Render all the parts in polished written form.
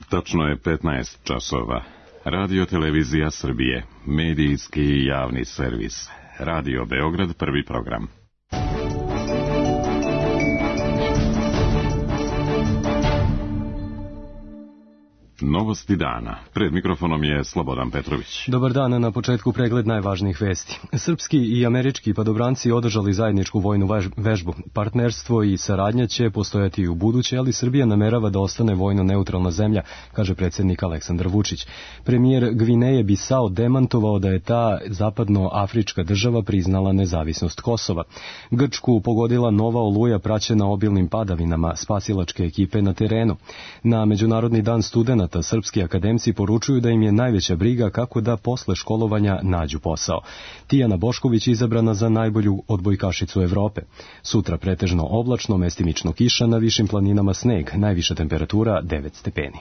Tačno je 15 časova. Radio Televizija Srbije, medijski i javni servis. Radio Beograd, prvi program. Novosti dana. Pred mikrofonom je Slobodan Petrović. Dobar dan, na početku pregled najvažnijih vesti. Srpski i američki padobranci održali zajedničku vojnu vežbu. Partnerstvo i saradnja će postojati i u buduće, ali Srbija namerava da ostane vojno neutralna zemlja, kaže predsjednik Aleksandar Vučić. Premijer Gvineje Bisao demantovao da je ta zapadnoafrička država priznala nezavisnost Kosova. Grčku pogodila nova oluja praćena obilnim padavinama, spasilačke ekipe na terenu. Na Međunarodni dan studenata srpski akademci poručuju da im je najveća briga kako da posle školovanja nađu posao. Tijana Bošković izabrana za najbolju odbojkašicu Evrope. Sutra pretežno oblačno, mestimično kiša, na višim planinama sneg, najviša temperatura 9 stepeni.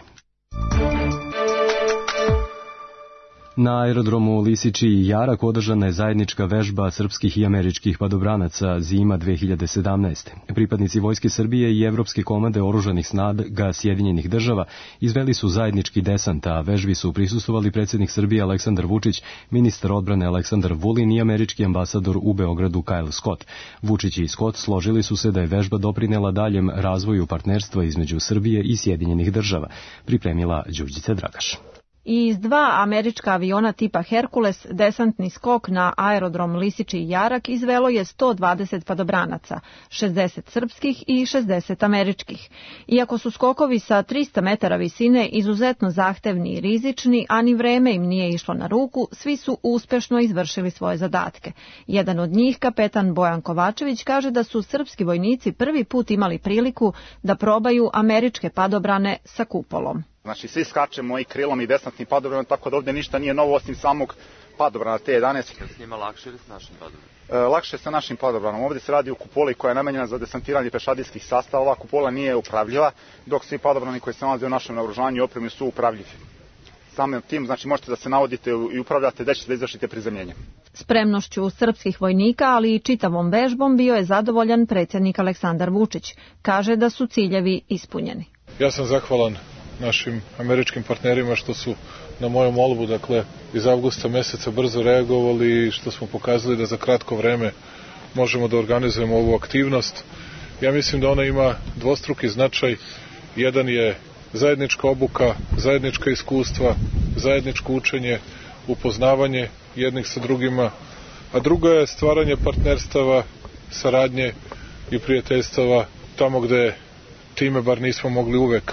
Na aerodromu Lisiči i Jarak održana je zajednička vežba srpskih i američkih padobranaca Zima 2017. Pripadnici Vojske Srbije i Evropske komande oružanih snaga Sjedinjenih država izveli su zajednički desant, a vežbi su prisustvovali predsjednik Srbije Aleksandar Vučić, ministar odbrane Aleksandar Vulin i američki ambasador u Beogradu Kyle Scott. Vučić i Scott složili su se da je vežba doprinela daljem razvoju partnerstva između Srbije i Sjedinjenih država, pripremila Đurđica Dragaš. I iz dva američka aviona tipa Herkules desantni skok na aerodrom Lisiči i Jarak izvelo je 120 padobranaca, 60 srpskih i 60 američkih. Iako su skokovi sa 300 metara visine izuzetno zahtevni i rizični, a ni vreme im nije išlo na ruku, svi su uspešno izvršili svoje zadatke. Jedan od njih, kapetan Bojan Kovačević, kaže da su srpski vojnici prvi put imali priliku da probaju američke padobrane sa kupolom. Znači, svi skačemo i krilom i desantni padobran, tako da ovdje ništa nije novo osim samog padobrana T11. S njima lakše ili s našim padobranom? Lakše sa našim padobranom. Ovdje se radi o kupoli koja je namenjena za desantiranje pešadijskih sastava. Ova kupola nije upravljiva, dok svi padobrani koji se nalaze u našem naoružanju i opremi su upravljivi. Samim tim, znači, možete da se navodite i upravljate da ćete da izvršite prizemljenje. Spremnošću srpskih vojnika, ali i čitavom vežbom bio je zadovoljan predsjednik Aleksandar Vučić. Kaže da su ciljevi ispunjeni. Ja sam zahvalan našim američkim partnerima što su na moju molbu, dakle, iz avgusta meseca brzo reagovali i što smo pokazali da za kratko vreme možemo da organizujemo ovu aktivnost. Ja mislim da ona ima dvostruki značaj. Jedan je zajednička obuka, zajednička iskustva, zajedničko učenje, upoznavanje jednih sa drugima, a druga je stvaranje partnerstava, saradnje i prijateljstava tamo gde time bar nismo mogli uvek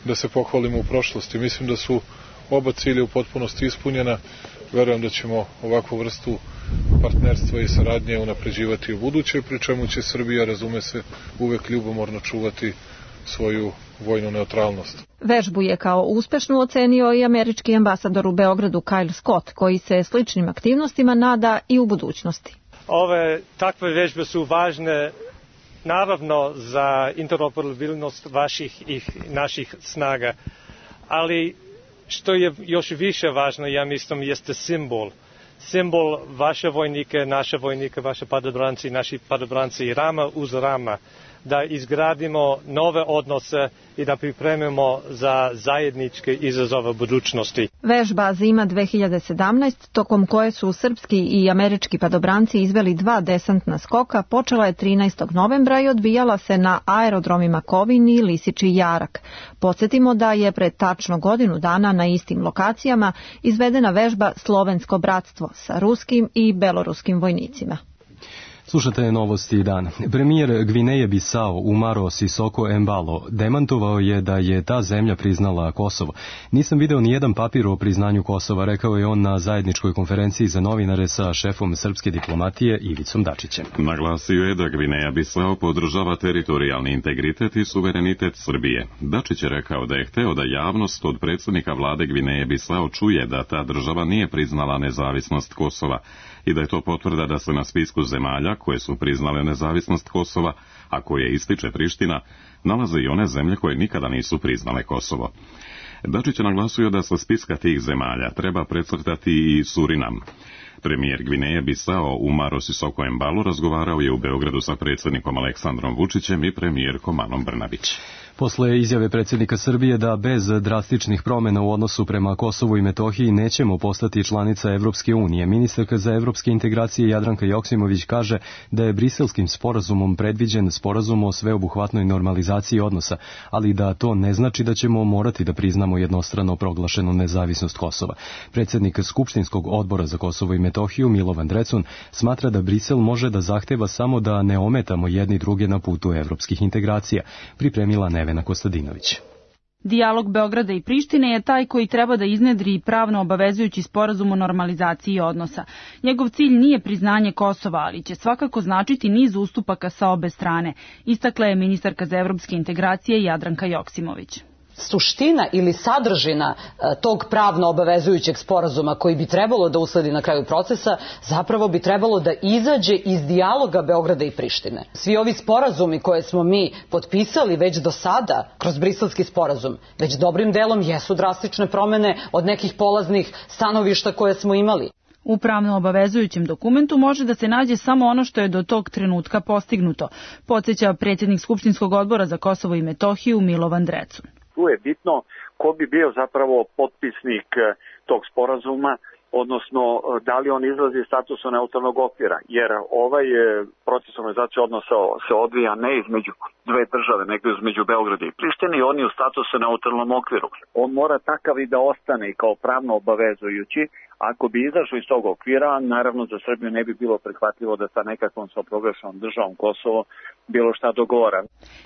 da se pohvalimo u prošlosti. Mislim da su oba cilja u potpunosti ispunjena. Verujem da ćemo ovakvu vrstu partnerstva i saradnje unapređivati u buduće, pri čemu će Srbija, razume se, uvek ljubomorno čuvati svoju vojnu neutralnost. Vežbu je kao uspešnu ocenio i američki ambasador u Beogradu Kyle Scott, koji se sličnim aktivnostima nada i u budućnosti. Ove takve vežbe su važne naravno za interoperabilnost vaših i naših snaga, ali što je još više važno, ja mislim, jeste simbol. Simbol vaše vojnike, naše vojnike, vaše padobranci, naši padobranci rama uz rama, da izgradimo nove odnose i da pripremimo za zajedničke izazove budućnosti. Vežba Zima 2017, tokom koje su srpski i američki padobranci izveli dva desantna skoka, počela je 13. novembra i odvijala se na aerodromima Kovin i Lisiči i Jarak. Podsjetimo da je pred tačno godinu dana na istim lokacijama izvedena vežba Slovensko bratstvo sa ruskim i beloruskim vojnicima. Slušate novosti dana. Premijer Gvineje Bisao Umaro Sisoko Embalo demantovao je da je ta zemlja priznala Kosovo. Nisam video ni jedan papir o priznanju Kosova, rekao je on na zajedničkoj konferenciji za novinare sa šefom srpske diplomatije Ivicom Dačićem. Naglasio je da Gvineja Bisao podržava teritorijalni integritet i suverenitet Srbije. Dačić je rekao da je hteo da javnost od predsjednika vlade Gvineje Bisao čuje da ta država nije priznala nezavisnost Kosova i da je to potvrda da se na spisku zemalja koje su priznale nezavisnost Kosova, a koje ističe Priština, nalaze i one zemlje koje nikada nisu priznale Kosovo. Dačić je naglasio da sa spiska tih zemalja treba precrtati i Surinam. Premijer Gvineje Bisao Umaro Sisoko Embalo razgovarao je u Beogradu sa predsjednikom Aleksandrom Vučićem i premijerkom Anom Brnabić. Posle izjave predsjednika Srbije da bez drastičnih promjena u odnosu prema Kosovu i Metohiji nećemo postati članica Evropske unije, ministarka za evropske integracije Jadranka Joksimović kaže da je Briselskim sporazumom predviđen sporazum o sveobuhvatnoj normalizaciji odnosa, ali da to ne znači da ćemo morati da priznamo jednostrano proglašenu nezavisnost Kosova. Predsjednik Skupštinskog odbora za Kosovo i Metohiju Milovan Drecun smatra da Brisel može da zahteva samo da ne ometamo jedni druge na putu evropskih integracija, pripremila Nevena Kostadinović. Dijalog Beograda i Prištine je taj koji treba da iznedri pravno obavezujući sporazum o normalizaciji odnosa. Njegov cilj nije priznanje Kosova, ali će svakako značiti niz ustupaka sa obe strane, istakla je ministarka za evropske integracije Jadranka Joksimović. Suština ili sadržina tog pravno obavezujućeg sporazuma koji bi trebalo da usledi na kraju procesa, zapravo bi trebalo da izađe iz dijaloga Beograda i Prištine. Svi ovi sporazumi koje smo mi potpisali već do sada kroz Briselski sporazum, već dobrim delom jesu drastične promene od nekih polaznih stanovišta koje smo imali. U pravno obavezujućem dokumentu može da se nađe samo ono što je do tog trenutka postignuto, podsjeća predsjednik Skupštinskog odbora za Kosovo i Metohiju Milovan Drecun. Tu je bitno ko bi bio zapravo potpisnik tog sporazuma, odnosno da li on izlazi iz statusa neutralnog okvira, jer ovaj proces normalizacije odnosa se odvija ne između dve države, nego između Beograda i Prištine i on je u statusu neutralnom okviru. On mora takav i da ostane i kao pravno obavezujući. Ako bi izašao iz tog okvira, naravno za Srbiju ne bi bilo prihvatljivo da sa nekakvom samoproglašenom državom Kosovo bilo šta dogovara.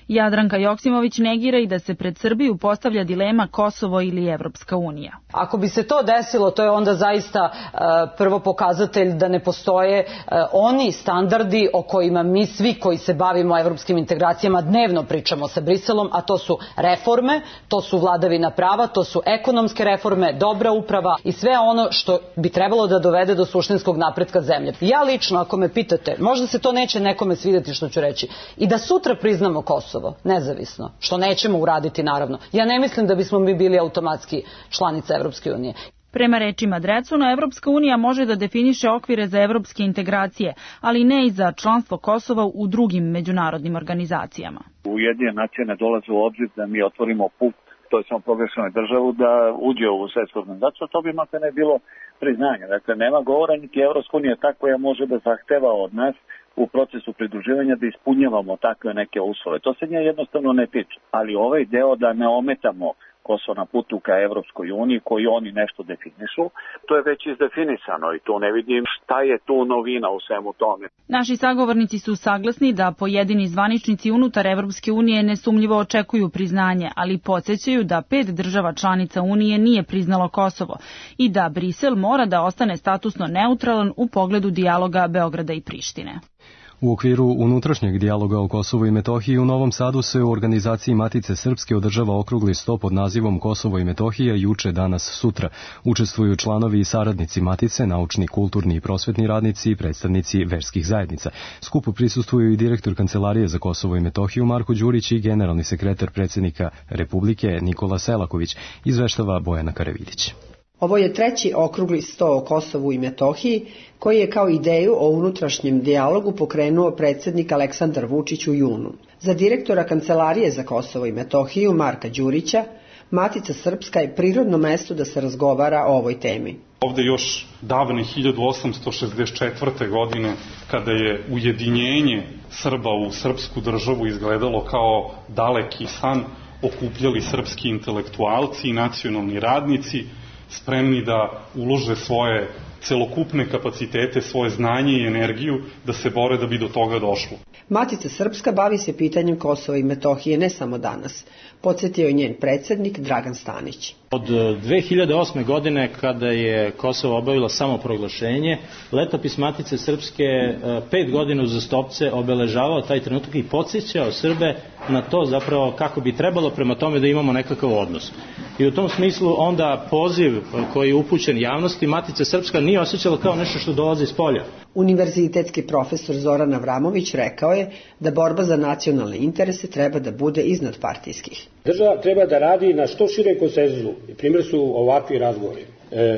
Jadranka Joksimović negira i da se pred Srbiju postavlja dilema Kosovo ili Evropska unija. Ako bi se to desilo, to je onda zaista prvo pokazatelj da ne postoje oni standardi o kojima mi svi koji se bavimo evropskim integracijama dnevno pričamo sa Briselom, a to su reforme, to su vladavina prava, to su ekonomske reforme, dobra uprava i sve ono što bi trebalo da dovede do suštinskog napretka zemlje. Ja lično, ako me pitate, možda se to neće nekome svidjeti što ću reći, i da sutra priznamo Kosovo, nezavisno, što nećemo uraditi naravno. Ja ne mislim da bismo mi bili automatski članica Evropske unije. Prema rečima Drecuna, Evropska unija može da definiše okvire za evropske integracije, ali ne i za članstvo Kosova u drugim međunarodnim organizacijama. Ujedinjene nacije ne dolaze u obzir da mi otvorimo put toj samoproglašenoj državu da uđe u svetsku organizaciju, to bi makar ne bilo priznanje. Dakle, nema govora, niti Evropska unija ta koja može da zahteva od nas u procesu pridruživanja da ispunjavamo takve neke uslove. To se nje jednostavno ne tiče. Ali ovaj deo da ne ometamo Kosovo na putu ka Evropskoj uniji, koji oni nešto definišu, to je već izdefinisano i tu ne vidim šta je tu novina u svemu tome. Naši sagovornici su saglasni da pojedini zvaničnici unutar Evropske unije nesumnjivo očekuju priznanje, ali podsjećaju da 5 država članica Unije nije priznalo Kosovo i da Brisel mora da ostane statusno neutralan u pogledu dijaloga Beograda i Prištine. U okviru unutrašnjeg dijaloga o Kosovu i Metohiji u Novom Sadu se u organizaciji Matice Srpske održava okrugli sto pod nazivom Kosovo i Metohija juče, danas, sutra. Učestvuju članovi i saradnici Matice, naučni, kulturni i prosvetni radnici i predstavnici verskih zajednica. Skupu prisustvuju i direktor Kancelarije za Kosovo i Metohiju Marko Đurić i generalni sekretar predsjednika Republike Nikola Selaković, izveštava Bojana Karavidić. Ovo je treći okrugli sto o Kosovu i Metohiji, koji je kao ideju o unutrašnjem dijalogu pokrenuo predsjednik Aleksandar Vučić u junu. Za direktora Kancelarije za Kosovo i Metohiju Marka Đurića, Matica Srpska je prirodno mesto da se razgovara o ovoj temi. Ovde još davne 1864. godine, kada je ujedinjenje Srba u srpsku državu izgledalo kao daleki san, okupljali srpski intelektualci i nacionalni radnici, spremni da ulože svoje celokupne kapacitete, svoje znanje i energiju da se bore da bi do toga došlo. Matica Srpska bavi se pitanjem Kosova i Metohije ne samo danas, podsjetio je njen predsjednik Dragan Stanić. Od 2008. godine, kada je Kosovo obavilo samoproglašenje, letopis Matice Srpske 5 godina uzastopce obeležavao taj trenutak i podsjećao Srbe na to zapravo kako bi trebalo prema tome da imamo nekakav odnos. I u tom smislu onda poziv koji je upućen javnosti Matica Srpska nije osjećala kao nešto što dolazi iz polja. Univerzitetski profesor Zoran Avramović rekao je da borba za nacionalne interese treba da bude iznad partijskih. Država treba da radi na što širem konsenzusu i primjer su ovakvi razgovori.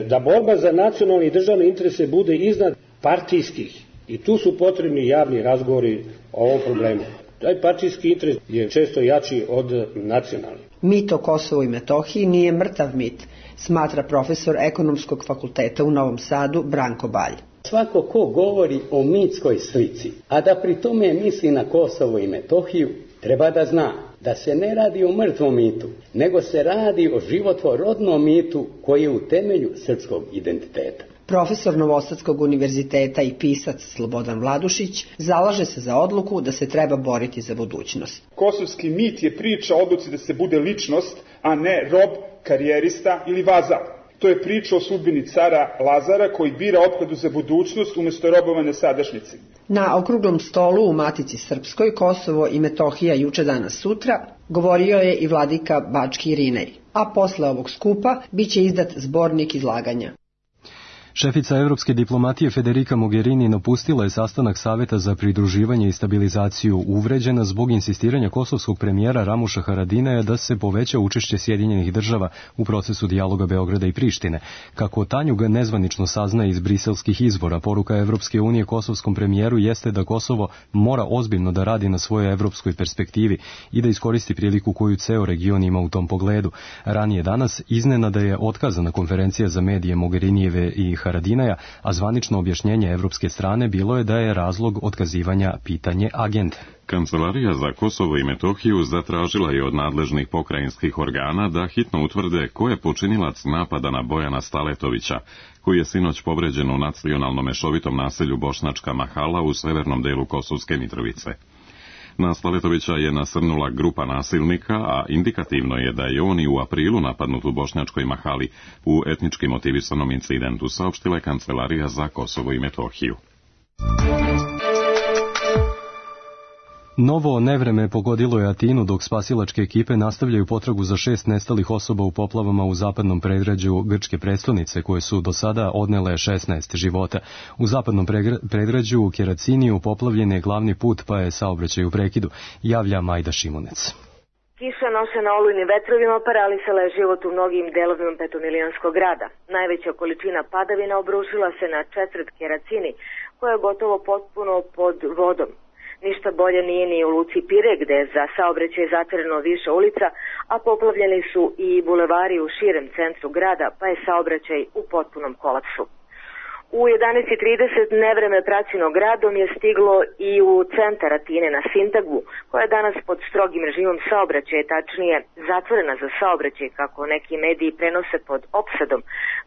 da borba za nacionalne i državne interese bude iznad partijskih. I tu su potrebni javni razgovori o ovom problemu. Taj partijski interes je često jači od nacionalnih. Mit o Kosovu i Metohiji nije mrtav mit, smatra profesor Ekonomskog fakulteta u Novom Sadu Branko Balj. Svako ko govori o mitskoj slici, a da pri tome misli na Kosovo i Metohiju, treba da zna da se ne radi o mrtvom mitu, nego se radi o životvorodnom mitu koji je u temelju srpskog identiteta. Profesor Novosadskog univerziteta i pisac Slobodan Vladušić zalaže se za odluku da se treba boriti za budućnost. Kosovski mit je priča o odluci da se bude ličnost, a ne rob, karijerista ili vazal. To je priča o sudbini cara Lazara koji bira opkladu za budućnost umjesto robovanja sadašnjici. Na okruglom stolu u Matici Srpskoj Kosovo i Metohija juče danas sutra govorio je i vladika Bački Irinej, a posle ovog skupa biće izdat zbornik izlaganja. Šefica evropske diplomatije Federica Mogherini napustila je sastanak Saveta za pridruživanje i stabilizaciju uvređena zbog insistiranja kosovskog premijera Ramuša Haradinaja da se poveća učešće Sjedinjenih država u procesu dijaloga Beograda i Prištine. Kako Tanjug nezvanično saznaje iz briselskih izvora, poruka Evropske unije kosovskom premijeru jeste da Kosovo mora ozbiljno da radi na svojoj evropskoj perspektivi i da iskoristi priliku koju ceo region ima u tom pogledu. Ranije danas iznenada je otkazana konferencija za medije Mogherinijeve i Haradinaja, a zvanično objašnjenje evropske strane bilo je da je razlog otkazivanja pitanje agende. Kancelarija za Kosovo i Metohiju zatražila je od nadležnih pokrajinskih organa da hitno utvrde ko je počinilac napada na Bojana Staletovića, koji je sinoć povređen u nacionalno mešovitom naselju Bošnjačka Mahala u severnom delu Kosovske Mitrovice. Na Staletovića je nasrnula grupa nasilnika, a indikativno je da je on i u aprilu napadnut u Bošnjačkoj Mahali u etnički motivisanom incidentu, saopštila je Kancelarija za Kosovo i Metohiju. Novo nevreme pogodilo je Atinu dok spasilačke ekipe nastavljaju potragu za 6 nestalih osoba u poplavama u zapadnom predgrađu grčke prestonice koje su do sada odnele 16 života. U zapadnom predgrađu Keraciniju poplavljen je glavni put pa je saobraćaj u prekidu, javlja Majda Šimunec. Kiša nošena olujnim vetrovima paralisala je život u mnogim delovima petomilijonskog grada. Najveća količina padavina obrušila se na četvrt Keracini koja je gotovo potpuno pod vodom. Ništa bolje nije ni u luci Pire, gde je za saobraćaj zatvoreno više ulica, a poplavljeni su i bulevari u širem centru grada, pa je saobraćaj u potpunom kolapsu. U 11:30 nevreme praćeno gradom je stiglo i u centar Atine na Sintagmu, koja je danas pod strogim režimom saobraćaja, tačnije zatvorena za saobraćaj, kako neki mediji prenose pod opsadom,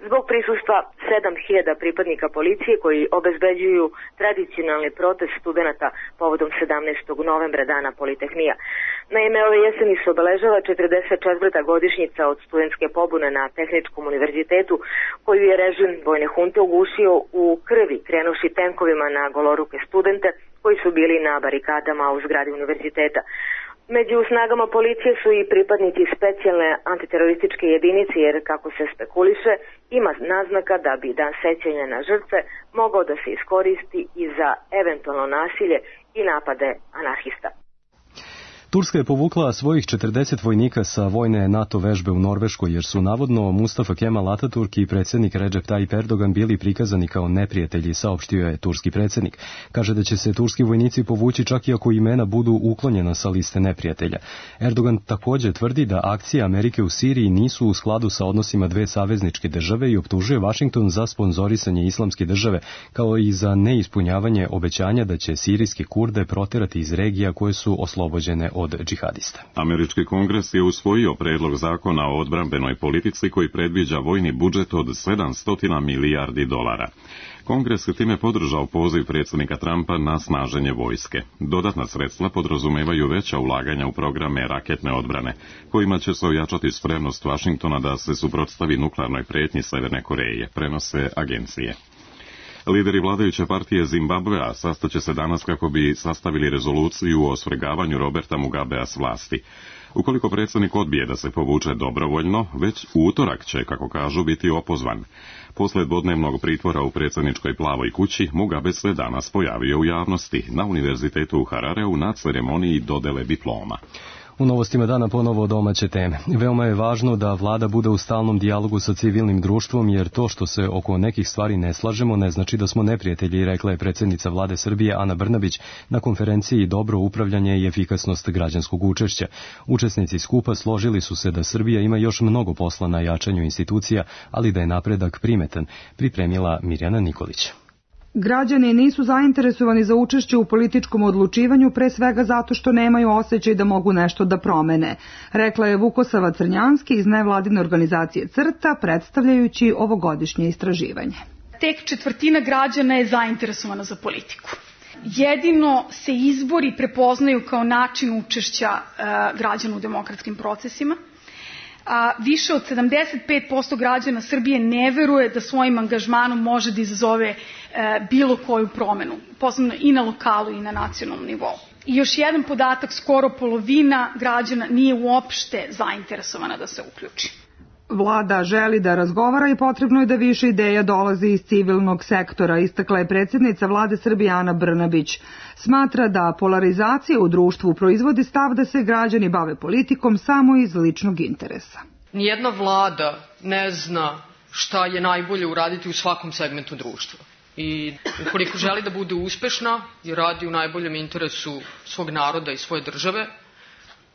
zbog prisustva 7.000 pripadnika policije koji obezbeđuju tradicionalni protest studenata povodom 17. novembra, dana Politehnija. Naime, ove jeseni se obeležava 44. godišnjica od studentske pobune na Tehničkom univerzitetu, koju je režim vojne hunte ugušio u krvi, krenuši tenkovima na goloruke studente koji su bili na barikadama u zgradi univerziteta. Među snagama policije su i pripadnici specijalne antiterorističke jedinice, jer kako se spekuliše, ima naznaka da bi dan sećanja na žrtve mogao da se iskoristi i za eventualno nasilje i napade anarhista. Turska je povukla svojih 40 vojnika sa vojne NATO vežbe u Norveškoj, jer su navodno Mustafa Kemal Ataturk i predsjednik Recep Tayyip Erdogan bili prikazani kao neprijatelji, saopštio je turski predsjednik. Kaže da će se turski vojnici povući čak i ako imena budu uklonjena sa liste neprijatelja. Erdogan također tvrdi da akcije Amerike u Siriji nisu u skladu sa odnosima dve savezničke države i optužuje Vašington za sponzorisanje islamske države, kao i za neispunjavanje obećanja da će sirijske Kurde proterati iz regija koje su oslobođene od džihadista. Američki kongres je usvojio predlog zakona o odbrambenoj politici koji predviđa vojni budžet od 700 milijardi dolara. Kongres je time podržao poziv predsjednika Trumpa na snaženje vojske. Dodatna sredstva podrazumevaju veća ulaganja u programe raketne odbrane, kojima će se ojačati spremnost Vašingtona da se suprotstavi nuklearnoj prijetnji Severne Koreje, prenose agencije. Lideri vladajuće partije Zimbabvea sastaće se danas kako bi sastavili rezoluciju o svrgavanju Roberta Mugabea s vlasti. Ukoliko predsjednik odbije da se povuče dobrovoljno, već u utorak će, kako kažu, biti opozvan. Posle dvodnevnog pritvora u predsjedničkoj Plavoj kući, Mugabe se danas pojavio u javnosti na univerzitetu u Harareu na ceremoniji dodele diploma. U novostima dana ponovo domaće teme. Veoma je važno da vlada bude u stalnom dijalogu sa civilnim društvom, jer to što se oko nekih stvari ne slažemo ne znači da smo neprijatelji, rekla je predsjednica vlade Srbije Ana Brnabić na konferenciji Dobro upravljanje i efikasnost građanskog učešća. Učesnici skupa složili su se da Srbija ima još mnogo posla na jačanju institucija, ali da je napredak primetan, pripremila Mirjana Nikolić. Građani nisu zainteresovani za učešće u političkom odlučivanju, pre svega zato što nemaju osjećaj da mogu nešto da promene, rekla je Vukosava Crnjanski iz nevladine organizacije CRTA, predstavljajući ovogodišnje istraživanje. Tek četvrtina građana je zainteresovana za politiku. Jedino se izbori prepoznaju kao način učešća građana u demokratskim procesima. Više od 75% građana Srbije ne veruje da svojim angažmanom može da izazove bilo koju promenu, posebno i na lokalu i na nacionalnom nivou. I još jedan podatak, skoro polovina građana nije uopšte zainteresovana da se uključi. Vlada želi da razgovara i potrebno je da više ideja dolazi iz civilnog sektora, istakla je predsjednica vlade Srbije Ana Brnabić. Smatra da polarizacija u društvu proizvodi stav da se građani bave politikom samo iz ličnog interesa. Nijedna vlada ne zna šta je najbolje uraditi u svakom segmentu društva. I ukoliko želi da bude uspešna i radi u najboljem interesu svog naroda i svoje države,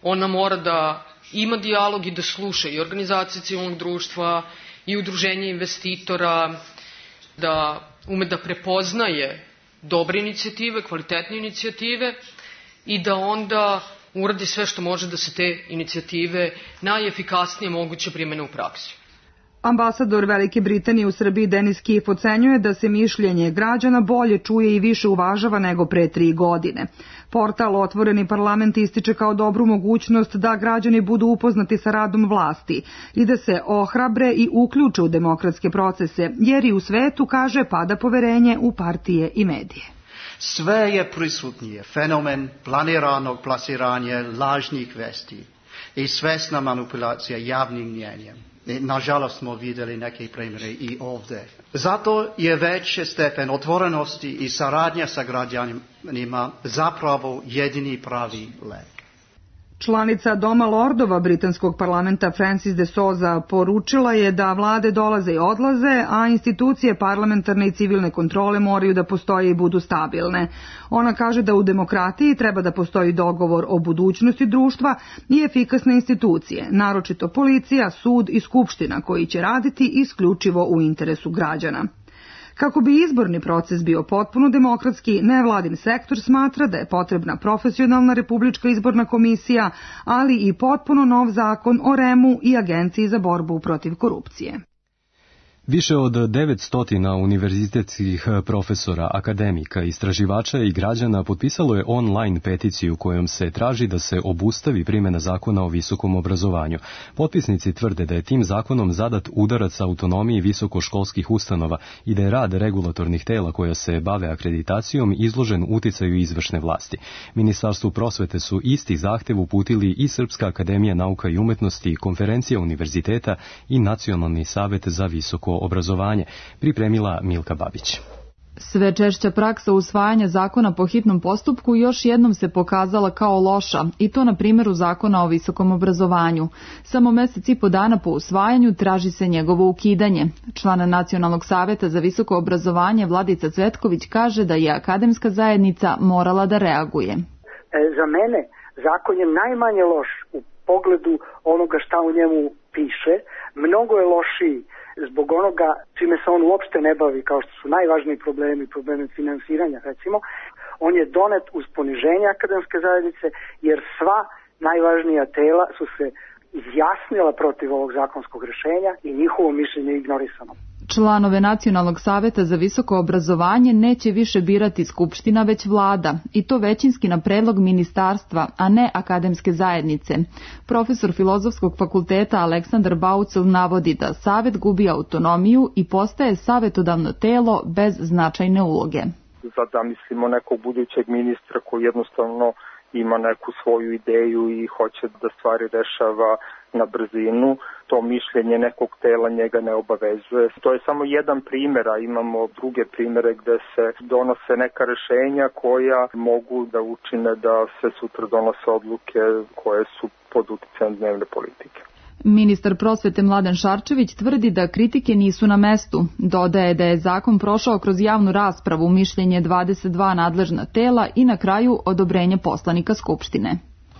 ona mora da ima dijalog i da sluša i organizacije civilnog društva i udruženje investitora, da ume da prepoznaje dobre inicijative, kvalitetne inicijative i da onda uradi sve što može da se te inicijative najefikasnije moguće primene u praksi. Ambasador Velike Britanije u Srbiji Denis Kif ocenjuje da se mišljenje građana bolje čuje i više uvažava nego pre 3 godine. Portal Otvoreni parlament ističe kao dobru mogućnost da građani budu upoznati sa radom vlasti i da se ohrabre i uključe u demokratske procese, jer i u svetu, kaže, pada poverenje u partije i medije. Sve je prisutnije fenomen planiranog plasiranja lažnih vesti i svesna manipulacija javnim mnjenjem. Nažalost smo vidjeli neke primjere i ovdje. Zato je veći stepen otvorenosti i saradnja sa građanima zapravo jedini pravi lek. Članica Doma lordova britanskog parlamenta Frances de Souza poručila je da vlade dolaze i odlaze, a institucije parlamentarne i civilne kontrole moraju da postoje i budu stabilne. Ona kaže da u demokratiji treba da postoji dogovor o budućnosti društva i efikasne institucije, naročito policija, sud i skupština, koji će raditi isključivo u interesu građana. Kako bi izborni proces bio potpuno demokratski, nevladin sektor smatra da je potrebna profesionalna republička izborna komisija, ali i potpuno nov zakon o REM-u i Agenciji za borbu protiv korupcije. Više od 900 univerzitetskih profesora, akademika, istraživača i građana potpisalo je online peticiju kojom se traži da se obustavi primjena zakona o visokom obrazovanju. Potpisnici tvrde da je tim zakonom zadat udarac autonomiji visokoškolskih ustanova i da je rad regulatornih tela koja se bave akreditacijom izložen uticaju izvršne vlasti. Ministarstvu prosvete su isti zahtev uputili i Srpska akademija nauka i umetnosti, Konferencija univerziteta i Nacionalni savet za visoko obrazovanje, pripremila Milka Babić. Sve češća praksa usvajanja zakona po hitnom postupku još jednom se pokazala kao loša, i to na primjeru zakona o visokom obrazovanju. Samo mjesec i po dana po usvajanju traži se njegovo ukidanje. Član Nacionalnog saveta za visoko obrazovanje Vladica Cvetković kaže da je akademska zajednica morala da reaguje. Za mene zakon je najmanje loš u pogledu onoga šta u njemu piše, mnogo je lošiji zbog onoga čime se on uopšte ne bavi, kao što su najvažniji problemi finansiranja, recimo. On je donet uz poniženje akademske zajednice, jer sva najvažnija tela su se izjasnila protiv ovog zakonskog rješenja i njihovo mišljenje je ignorisano. Članove Nacionalnog saveta za visoko obrazovanje neće više birati skupština, već vlada, i to većinski na predlog ministarstva, a ne akademske zajednice. Profesor Filozofskog fakulteta Aleksandar Baucel navodi da savet gubi autonomiju i postaje savetodavno telo bez značajne uloge. Zamislimo nekog budućeg ministra koji jednostavno ima neku svoju ideju i hoće da stvari rešava na brzinu, to mišljenje nekog tela njega ne obavezuje. To je samo jedan primer, a imamo druge primere gde se donose neka rešenja koja mogu da učine da se sutra donose odluke koje su pod uticajem dnevne politike. Ministar prosvete Mladen Šarčević tvrdi da kritike nisu na mestu. Dodaje da je zakon prošao kroz javnu raspravu, mišljenje 22 nadležna tela i na kraju odobrenje poslanika Skupštine.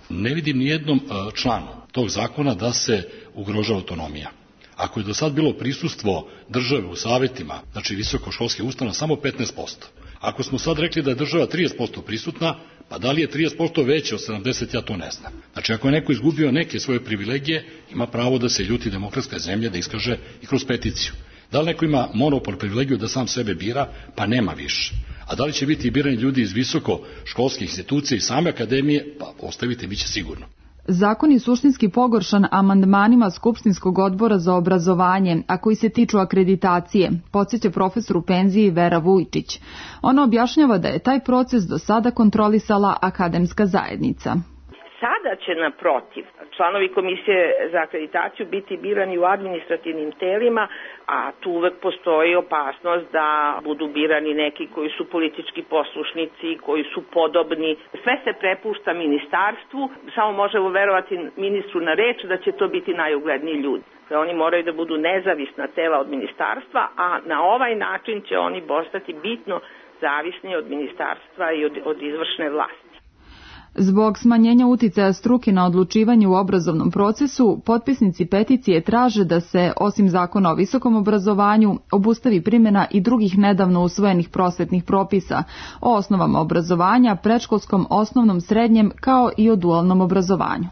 Ne vidim nijednom članu tog zakona da se ugrožava autonomija. Ako je do sad bilo prisustvo države u savjetima, znači visokoškolske ustanove, samo 15%. Ako smo sad rekli da je država 30% prisutna, pa da li je 30% veće od 70%, ja to ne znam. Znači, ako je neko izgubio neke svoje privilegije, ima pravo da se ljuti demokratska zemlja, da iskaže i kroz peticiju. Da li neko ima monopol privilegiju da sam sebe bira, pa nema više. A da li će biti birani ljudi iz visokoškolskih institucija i same akademije, pa ostavite, bit će sigurno. Zakon je suštinski pogoršan amandmanima Skupštinskog odbora za obrazovanje, a koji se tiču akreditacije, podsjeća profesor u penziji Vera Vujčić. Ona objašnjava da je taj proces do sada kontrolisala akademska zajednica. Sada će naprotiv članovi komisije za akreditaciju biti birani u administrativnim telima, a tu uvek postoji opasnost da budu birani neki koji su politički poslušnici, koji su podobni. Sve se prepušta ministarstvu, samo možemo verovati ministru na reč da će to biti najugledniji ljudi. Oni moraju da budu nezavisna tela od ministarstva, a na ovaj način će oni postati bitno zavisni od ministarstva i od izvršne vlasti. Zbog smanjenja uticaja struke na odlučivanje u obrazovnom procesu, potpisnici peticije traže da se, osim zakona o visokom obrazovanju, obustavi primjena i drugih nedavno usvojenih prosvetnih propisa o osnovama obrazovanja, predškolskom, osnovnom, srednjem, kao i o dualnom obrazovanju.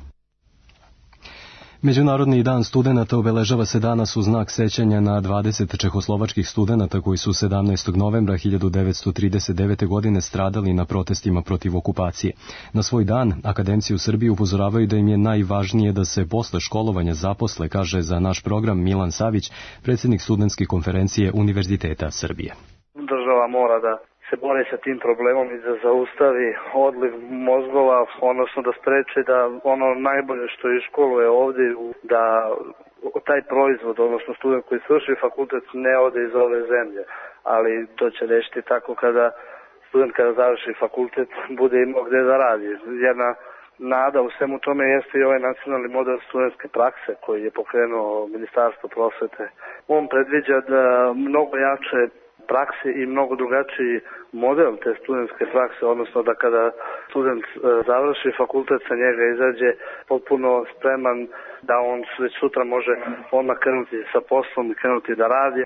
Međunarodni dan studenata obeležava se danas u znak sećanja na 20 čehoslovačkih studenata koji su 17. novembra 1939. godine stradali na protestima protiv okupacije. Na svoj dan akademci u Srbiji upozoravaju da im je najvažnije da se posle školovanja zaposle, kaže za naš program Milan Savić, predsjednik studentske konferencije Univerziteta Srbije. Država mora da se bori sa tim problemom i da zaustavi odliv mozgova, odnosno da spreči da ono najbolje što je školuje ovdje, da taj proizvod, odnosno student koji svrši fakultet ne ode iz ove zemlje, ali to će rešiti tako kada student kada završi fakultet bude imao gde da radi. Jedna nada u svemu tome jeste i ovaj nacionalni model studentske prakse koji je pokrenuo Ministarstvo prosvete. On predviđa da mnogo jače prakse i mnogo drugačiji model te studentske prakse, odnosno da kada student završi fakultet, sa njega izađe potpuno spreman da on već sutra može odmah krenuti sa poslom i krenuti da radi.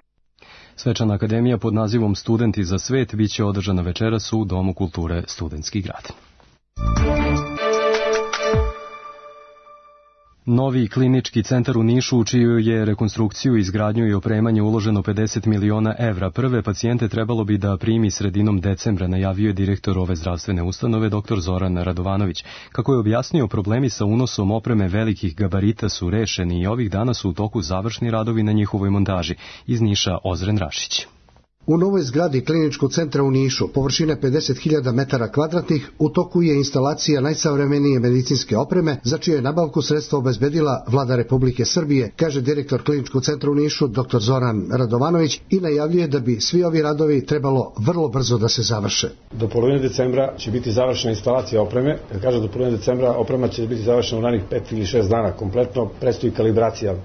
Svečana akademija pod nazivom Studenti za svet biće održana večeras u Domu kulture Studentski grad. Novi klinički centar u Nišu, u čiju je rekonstrukciju, izgradnju i opremanje uloženo 50 miliona evra. Prve pacijente trebalo bi da primi sredinom decembra, najavio je direktor ove zdravstvene ustanove, dr. Zoran Radovanović. Kako je objasnio, problemi sa unosom opreme velikih gabarita su rešeni i ovih dana su u toku završni radovi na njihovoj montaži. Iz Niša Ozren Rašić. U novoj zgradi kliničkog centra u Nišu, površine 50.000 metara kvadratnih, u toku je instalacija najsavremenije medicinske opreme, za čiju je nabavku sredstva obezbedila Vlada Republike Srbije, kaže direktor kliničkog centra u Nišu, dr. Zoran Radovanović, i najavljuje da bi svi ovi radovi trebalo vrlo brzo da se završe. Do polovine decembra će biti završena instalacija opreme. Kad kažem do polovine decembra, oprema će biti završena u narednih 5 ili 6 dana kompletno. Predstoji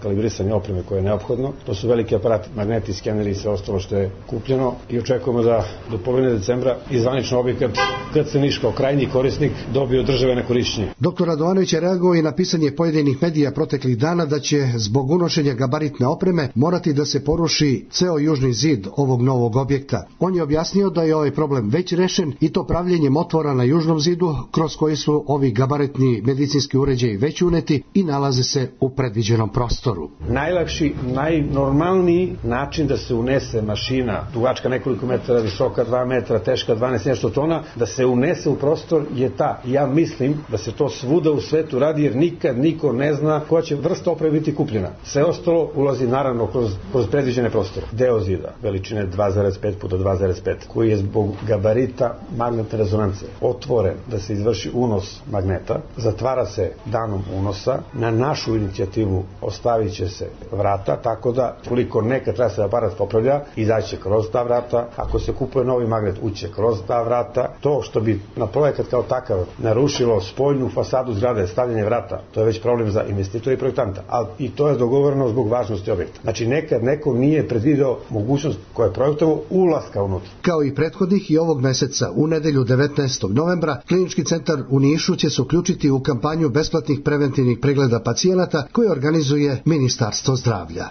kalibrisanje opreme koje je neophodno. To su veliki aparati, magneti, skeneri i sve ostalo što je kupljeno. I očekujemo da do polovine decembra i zvanično objekat KC Niš kao krajnji korisnik dobije od države na korišćenje. Dr. Radovanović je reagovao i na pisanje pojedinih medija proteklih dana da će zbog unošenja gabaritne opreme morati da se poruši ceo južni zid ovog novog objekta. On je objasnio da je ovaj problem već rešen i to pravljenjem otvora na južnom zidu kroz koji su ovi gabaritni medicinski uređaji već uneti i nalaze se u predviđenom prostoru. Najlakši, najnormalniji način da se unese mašina tu dugačka nekoliko metara, visoka 2 metra, teška 12 nešto tona, da se unese u prostor je ta. Ja mislim da se to svuda u svetu radi jer nikad niko ne zna koja će vrsta opreme biti kupljena. Sve ostalo ulazi naravno kroz predviđene prostore. Deo zida, veličine 2,5 puta 2,5, koji je zbog gabarita magnetne rezonance otvoren da se izvrši unos magneta, zatvara se danom unosa, na našu inicijativu ostavit će se vrata, tako da koliko nekad treba se aparat popravlja, izaće kroz ta vrata, ako se kupuje novi magnet, uće kroz ta vrata. To što bi na projekat kao takav narušilo spoljnu fasadu zgrade, stavljanje vrata, to je već problem za investitora i projektanta, ali i to je dogovoreno zbog važnosti objekta. Znači nekad neko nije predvideo mogućnost koja je projektovo ulaska unutra. Kao i prethodnih i ovog meseca, u nedelju 19. novembra, Klinički centar u Nišu će se uključiti u kampanju besplatnih preventivnih pregleda pacijenata koje organizuje Ministarstvo zdravlja.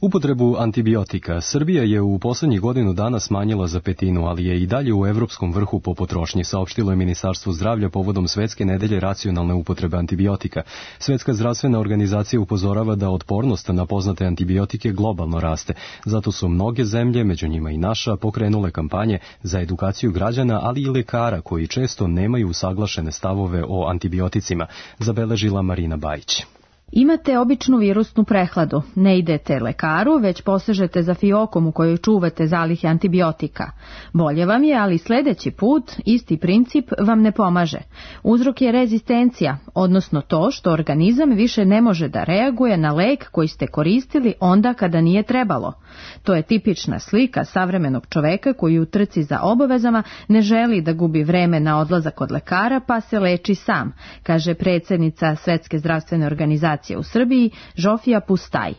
Upotrebu antibiotika Srbija je u poslednjih godinu dana smanjila za 1/5, ali je i dalje u evropskom vrhu po potrošnji, saopštilo je Ministarstvo zdravlja povodom Svetske nedelje racionalne upotrebe antibiotika. Svetska zdravstvena organizacija upozorava da otpornost na poznate antibiotike globalno raste. Zato su mnoge zemlje, među njima i naša, pokrenule kampanje za edukaciju građana, ali i lekara koji često nemaju usaglašene stavove o antibioticima, zabeležila Marina Bajić. Imate običnu virusnu prehladu, ne idete lekaru, već posežete za fiokom u kojoj čuvate zalihe antibiotika. Bolje vam je, ali sledeći put isti princip vam ne pomaže. Uzrok je rezistencija, odnosno to što organizam više ne može da reaguje na lek koji ste koristili onda kada nije trebalo. To je tipična slika savremenog čoveka koji u trci za obavezama ne želi da gubi vreme na odlazak kod lekara pa se leči sam, kaže predsjednica Svetske zdravstvene organizacije u Srbiji, Žofija Pustaj.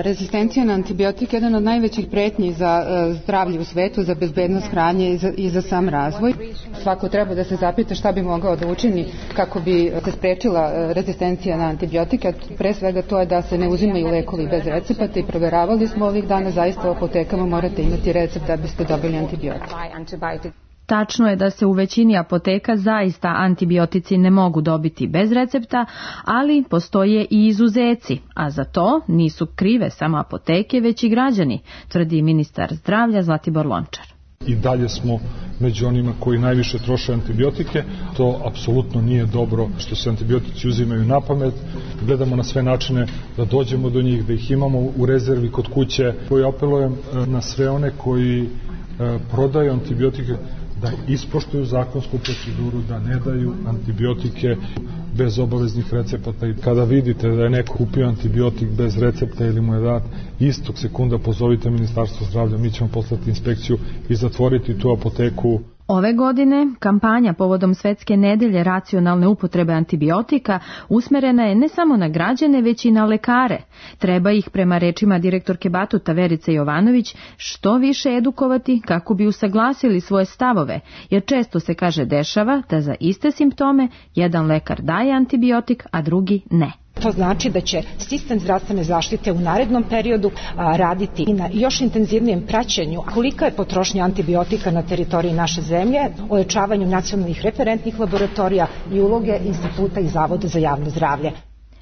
Rezistencija na antibiotik je jedan od najvećih pretnji za zdravlje u svetu, za bezbednost hrane i za sam razvoj. Svako treba da se zapita šta bi mogao da učini kako bi se sprečila rezistencija na antibiotike. Pre svega to je da se ne uzimaju lekovi bez recepata i proveravali smo ovih dana, zaista u apotekama morate imati recept da biste dobili antibiotik. Tačno je da se u većini apoteka zaista antibiotici ne mogu dobiti bez recepta, ali postoje i izuzeci, a za to nisu krive samo apoteke, već i građani, tvrdi ministar zdravlja Zlatibor Lončar. I dalje smo među onima koji najviše troše antibiotike. To apsolutno nije dobro što se antibiotici uzimaju na pamet. Gledamo na sve načine da dođemo do njih, da ih imamo u rezervi kod kuće. Koji apelujem na sve one koji prodaju antibiotike da ispoštuju zakonsku proceduru, da ne daju antibiotike bez obaveznih recepata. I kada vidite da je neko kupio antibiotik bez recepta ili mu je dat, istog sekunda pozovite Ministarstvo zdravlja, mi ćemo poslati inspekciju i zatvoriti tu apoteku. Ove godine kampanja povodom Svetske nedelje racionalne upotrebe antibiotika usmerena je ne samo na građane, već i na lekare. Treba ih, prema rečima direktorke Batuta Verice Jovanović, što više edukovati kako bi usaglasili svoje stavove, jer često se dešava da za iste simptome jedan lekar daje antibiotik, a drugi ne. To znači da će sistem zdravstvene zaštite u narednom periodu raditi i na još intenzivnijem praćenju kolika je potrošnja antibiotika na teritoriji naše zemlje, ojačavanju nacionalnih referentnih laboratorija i uloge instituta i zavoda za javno zdravlje.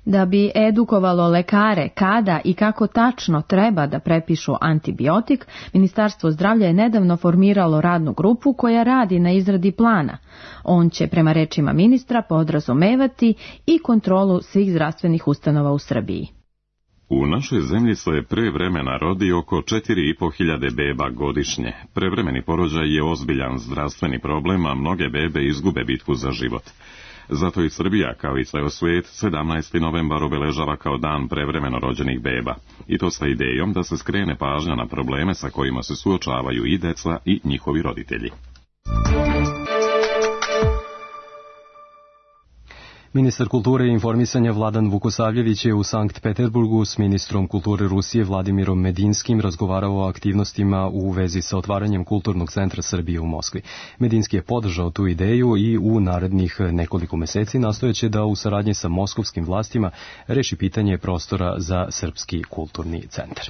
Da bi edukovalo lekare kada i kako tačno treba da prepišu antibiotik, Ministarstvo zdravlja je nedavno formiralo radnu grupu koja radi na izradi plana. On će, prema rečima ministra, podrazumevati i kontrolu svih zdravstvenih ustanova u Srbiji. U našoj zemlji se pre vremena rodi oko 4.500 beba godišnje. Prevremeni porođaj je ozbiljan zdravstveni problem, a mnoge bebe izgube bitku za život. Zato i Srbija, kao i ceo svijet, 17. novembar obeležava kao dan prevremeno rođenih beba. I to sa idejom da se skrene pažnja na probleme sa kojima se suočavaju i deca i njihovi roditelji. Ministar kulture i informisanja Vladan Vukosavljević je u Sankt Peterburgu s ministrom kulture Rusije Vladimirom Medinskim razgovarao o aktivnostima u vezi sa otvaranjem Kulturnog centra Srbije u Moskvi. Medinski je podržao tu ideju i u narednih nekoliko meseci nastojeće da u saradnji sa moskovskim vlastima reši pitanje prostora za Srpski kulturni centar.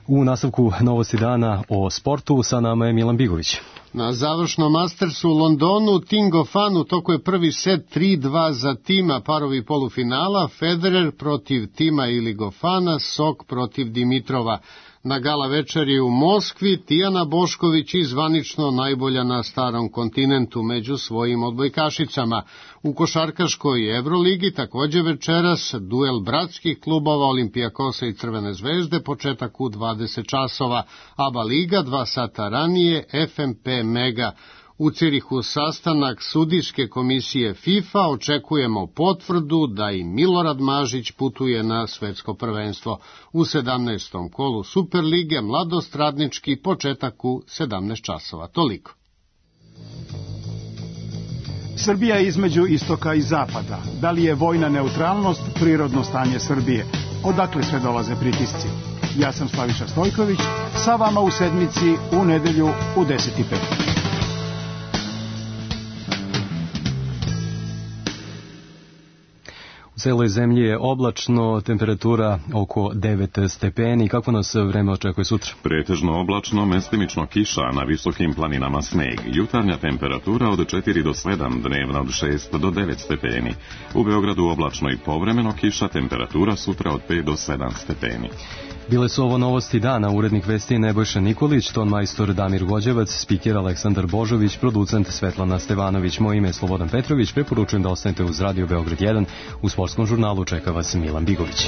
U nastavku novosti dana o sportu sa nama je Milan Bigović. Na završnom Mastersu u Londonu Tim Goffin u toku je prvi set 3-2 za Tima, parovi polufinala, Federer protiv Tima ili Goffina, Sok protiv Dimitrova. Na gala večeri u Moskvi Tijana Bošković i zvanično najbolja na starom kontinentu među svojim odbojkašicama. U košarkaškoj Evroligi također večeras duel bratskih klubova Olimpijakosa i Crvene zvezde, početak u 20 časova, ABA liga 2 sata ranije FMP Mega. U Cirihu sastanak sudijske komisije FIFA, očekujemo potvrdu da i Milorad Mažić putuje na svetsko prvenstvo. U 17. kolu Superlige Mladost Radnički, početak u 17 časova. Toliko. Srbija je između istoka i zapada. Da li je vojna neutralnost prirodno stanje Srbije? Odakle sve dolaze pritisci? Ja sam Slaviša Stojković, sa vama u sedmici u nedelju u 10:05. U celoj zemlji je oblačno, temperatura oko 9 stepeni. Kako nas vreme očekuje sutra? Pretežno oblačno, mestimično kiša, na visokim planinama sneg. Jutarnja temperatura od 4 do 7, dnevna od 6 do 9 stepeni. U Beogradu oblačno i povremeno kiša, temperatura sutra od 5 do 7 stepeni. Bile su ovo novosti dana, urednik vesti Nebojša Nikolić, ton majstor Damir Gođevac, spiker Aleksandar Božović, producent Svetlana Stevanović. Moje ime je Slobodan Petrović, preporučujem da ostanete uz Radio Beograd 1. U sportskom žurnalu čeka vas Milan Bigović.